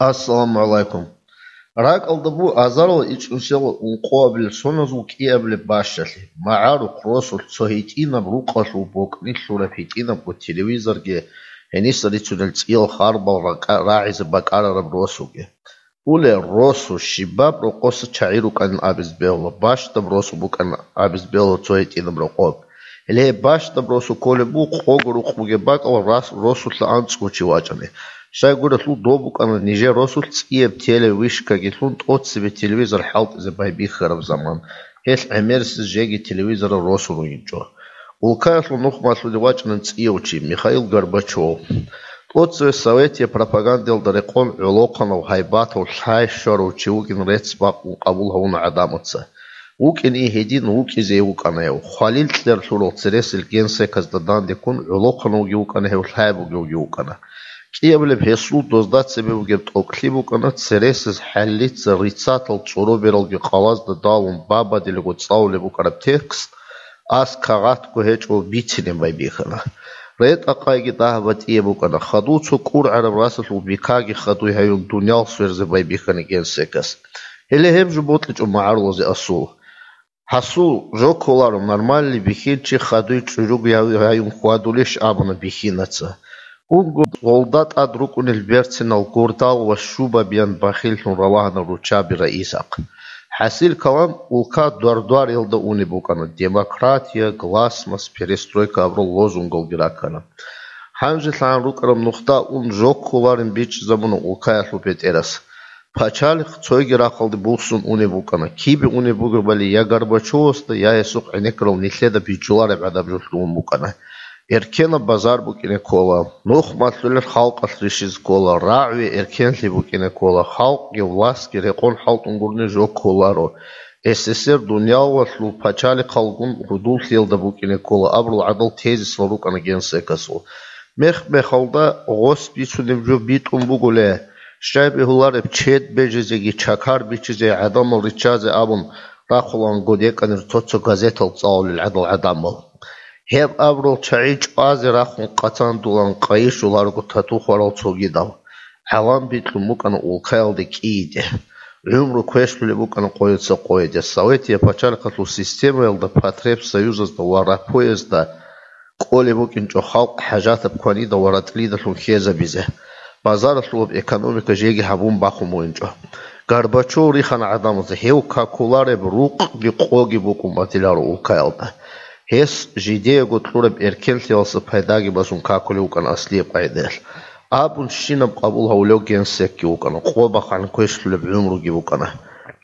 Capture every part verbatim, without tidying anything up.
Ассаламу гӀалайкум. РакӀалда бу азарал ичӀнусел ункъоабилеб соназул кӀиабилеб бащалъи, магӀарухъ росулъ цо гьитӀинаб рукъалъул бокӀни лъураб гьитӀинабго телевизорги, гьениса рицунел цӀиял харбал ракӀа-, рагӀизе бакӀарараб росуги. Уле, росу щибаб рокъоса чагӀи рукӀанин абизе бегьула, бащдаб росу букӀанин абизе бегьула цо гьитӀинаб рокъоб. Гьеле гьеб бащдаб росу кколеб бу къого рукъ бугеб бакӀал рас-, росулъа анцӀго чи вачӀани. Щайгурелъул доб букӀана нижер росулъ цӀияб телевышкаги лъун тӀоцебе телевизор хӀалтӀизе байбихьараб заман. Гьелъ гӀемерисез жеги телевизорал росу ругинчӀо. Улкаялъул нухмалъулев вачӀана цӀияв чи Михаил Горбачев. ТӀоцеве советие пропагандиялда рекъон гӀолохъанав, гьайбатав, лъай щварав чи вугин рецц бакъун къабул гьавуна гӀадамаца. ВукӀине гьедин вукӀизе вукӀана гьев. Хвалил кьер лъурал цересел генсеказда данде ккун гӀолохъанавги вукӀана гьев, лъай бугевги вукӀана. КӀиабилеб гьесул дозда цебе бугеб тӀокӀлъи букӀана цересез хӀаллица рицатал цӀоробералги къалазда далун бабадилаго цӀалулеб букӀараб текст, ас кагъатго гьечӀо бицине байбихьана. РетӀа-къайги дагь батӀияб букӀана, хадув цо кӀургӀараб расалъул бикаги хадуй гьаюн дуниял сверзе байбихьана генсекас. Гьеле гьеб жо бокьичӀо магӀарулазе асул. Гьасул, жо кколаро, нормальный бихьинчи хадуй чӀужуг гьаюн хьвадулищ абуна бихьинаца. Унго гъолда тӀад рукӀунел берцинал гурдал ва щубабиян бахиллъун ралагьана руччаби раисахъ. ХӀасил калам улка дуар-дуарелда унеб букӀана, демократия, гласность, перестройка абурал лозунгалги раккана. ГьанжелъагӀан рукӀараб нухда ун жо кколарин бичӀчӀизабуна улкаялъул бетӀерас. Пачалихъ цойги рахъалде буссун унеб букӀана. Кибе унеб бугебали я Горбачевасда, я гьесухъ гӀенеккарал нилъеда бичӀчӀулареб гӀадаб жо лъугьун букӀана. Эркенаб базар букӀине ккола, нухмалъулел халкъалъ рищизе ккола, рагӀуе эркенлъи букӀине ккола, халкъги властги рекъон хӀалтӀун гурони жо кколаро. СССР дуниялалъул пачалихъалгун гӀудуллъиялда букӀине ккола абурал гӀадал тезисал рукӀана генсекасул. Мех-мехалда гъос бицунеб жо битӀун бугулей, щай бегьулареб чед бежизеги чакар бичизе гӀадамал риччазе абун рахъулаан годекӀанир цо-цо газетал цӀалулел гӀадал гӀадамал. Гьеб абурал чагӀи чӀвазе рахун къацандулан къайи щоларого тату хварал цогидал. ГӀалам бикьун букӀана улкаялде кӀийиде. ГӀумру квешлъулеб букӀана къояца къояде. Советия пачалихъалъул системаялда, потребсоюзазда ва рапоязда кӀолеб букӀинчӀо халкъ хӀажатаб кванида ва ратӀлидалъун хьезабизе. Базаралъулаб экономика жеги гьабун бахун бугинчӀо. Горбачев рихана гӀадамазе, гьев какулареб рукъги къоги букӀун батиларо улкаялда. Гьес жидеего кьураб эркенлъиялса пайдаги босун какулев вукӀана аслияб къагӀидаялъ. Абун щинаб къабул гьавулев генсекги вукӀана, къо бахъан квешлъулеб гӀумруги букӀана.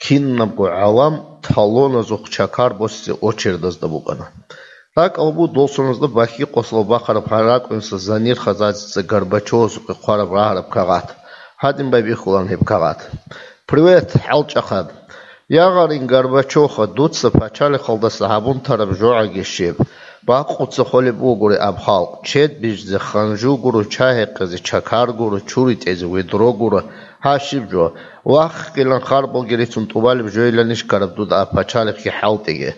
Кинабго гӀалам талоназухъ чакар босизе очередазда букӀана. РакӀал бу долсуназда бахьи-къосал бахъараб гьаракӀунса Занир Хазазица Горбачевасухъе хъвараб рагьараб кагъат. Гьадин байбихьулан гьеб кагъат. Привет, хӀалчӀахъад! Ягъарин, Горбачевха, дуца пачалихъалдаса гьабун тараб жогӀаги щиб? Бакъуца холеб бугури аб халкъ, чед бижизе ханжу гуро, чай гьекъезе чакар гуро, чури тӀезе ведро гуро, гьа щиб жо? Вахъгилан харбалги рицун тӀубалеб жойиланищ ккараб дуда аб пачалихъги хӀалтӀиги?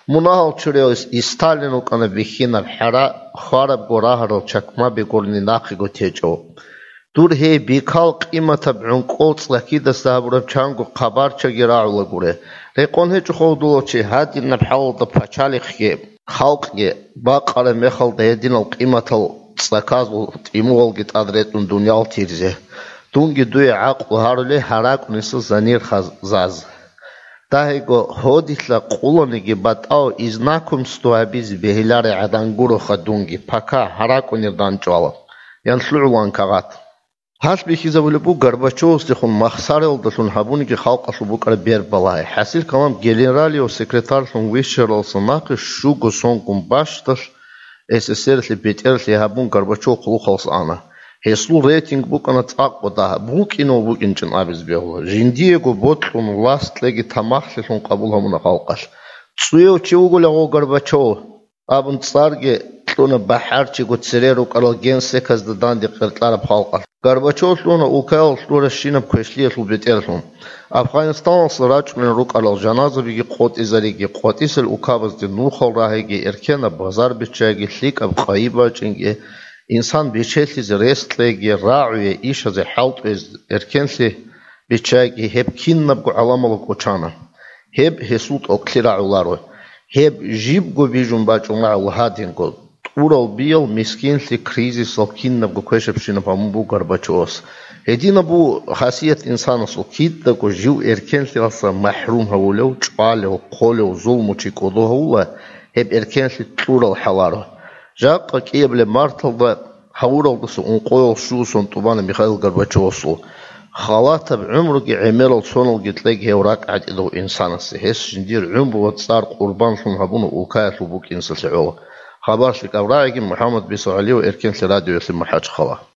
Мунагьал чурияв Сталин вукӀана бихьинаб хӀара, хварабго рагьарал чакмаби гурони нахъего течӀо. Дур гьей бикал къиматаб гӀункӀкӀол цӀакидаса гьабураб чанго хъабарчаги рагӀула гуре. Рекъон гьечӀо ховдулав чи гьадинаб хӀалалда пачалихъги, халкъги бакъараб мехалда гьединал къиматал цӀаказул тӀимугьалги тӀад ретӀун дуниял тирзе. Дунги дуе гӀакълу гьарулей гьаракӀуниса Занир Хазаз. Дагьего, гьодилъа къуланиги батӀав изнакумство гьабизе бегьиларай гӀадан гуроха дунги, пока гьаракӀунир данчӀвала, ян лъугӀулан кагъат. Гьалъ бихьизабулеб буго Горбачевасдехун махсаралдалъун гьабуниги халкъалъул букӀараб бер балагьи. ХӀасил калам генералияв секретарьлъун вищаралса нахъе щуго сонгун бащдалъ СССР-лъи бетӀерлъи гьабун Горбачев хъулухъалса ана. Гьесул рейтинг букӀана цӀакъго дагь, букӀинав букӀинчӀин абизе бегьула. Жиндиего бокьун, лас кьеги тамахлъилъун къабул гьабуна халкъалъ. ЦӀуяв чи вугулев гъо Горбачев? Абун цӀарги кьуна бахӀарчиго цере рукӀарал генсеказда данде къеркьараб халкъалъ. Горбачев лъуна улкаялъ лъуращинаб квешлъиялъул бетӀерлъун. Афганистаналъа рачӀунел рукӀарал жаназабиги къотӀизариги, къватӀисел улкабазде нухал рагьиги, эркенаб базар биччайги, лъикӀаб къайи бачӀинги, Инсан бечелъизе рес кьеги, рагӀуе ишазе хӀалтӀуез эркенлъи биччаги, гьеб кинабго гӀаламалда кӀочана. Гьеб гьесул тӀокӀлъи рагӀуларо. Гьеб жибго бижун бачӀун рагӀула гьадинго. ТӀурал биял, мискинлъи, кризисал кинабго квешабщинаб гьабун буго Горбачевас. Гьединаб бу хасият инсанасул: кидаго жив эркенлъиялдаса махӀрум гьавулев, чӀвалев, хъолев, зулмучи кӀодо гьавула, гьеб эркенлъи кьурал хӀаларо. Жакъа кӀиабилеб марталда гьавуралдаса ункъоял щусан тӀубана Михаил Горбачевасул. Халатаб гӀумруги гӀемерал соналги кьеги гьев ракӀ гӀатӀидав инсанасе, гьес жиндир гӀумру ва цӀар къурбанлъун гьабуна улкаялъул букӀинсалъе гӀоло. Хабар лъикӀаб рагӀиги, МухӀаммад Бисо ГӀалиев, Эркенлъи радиоялъе, МахӀачхъала.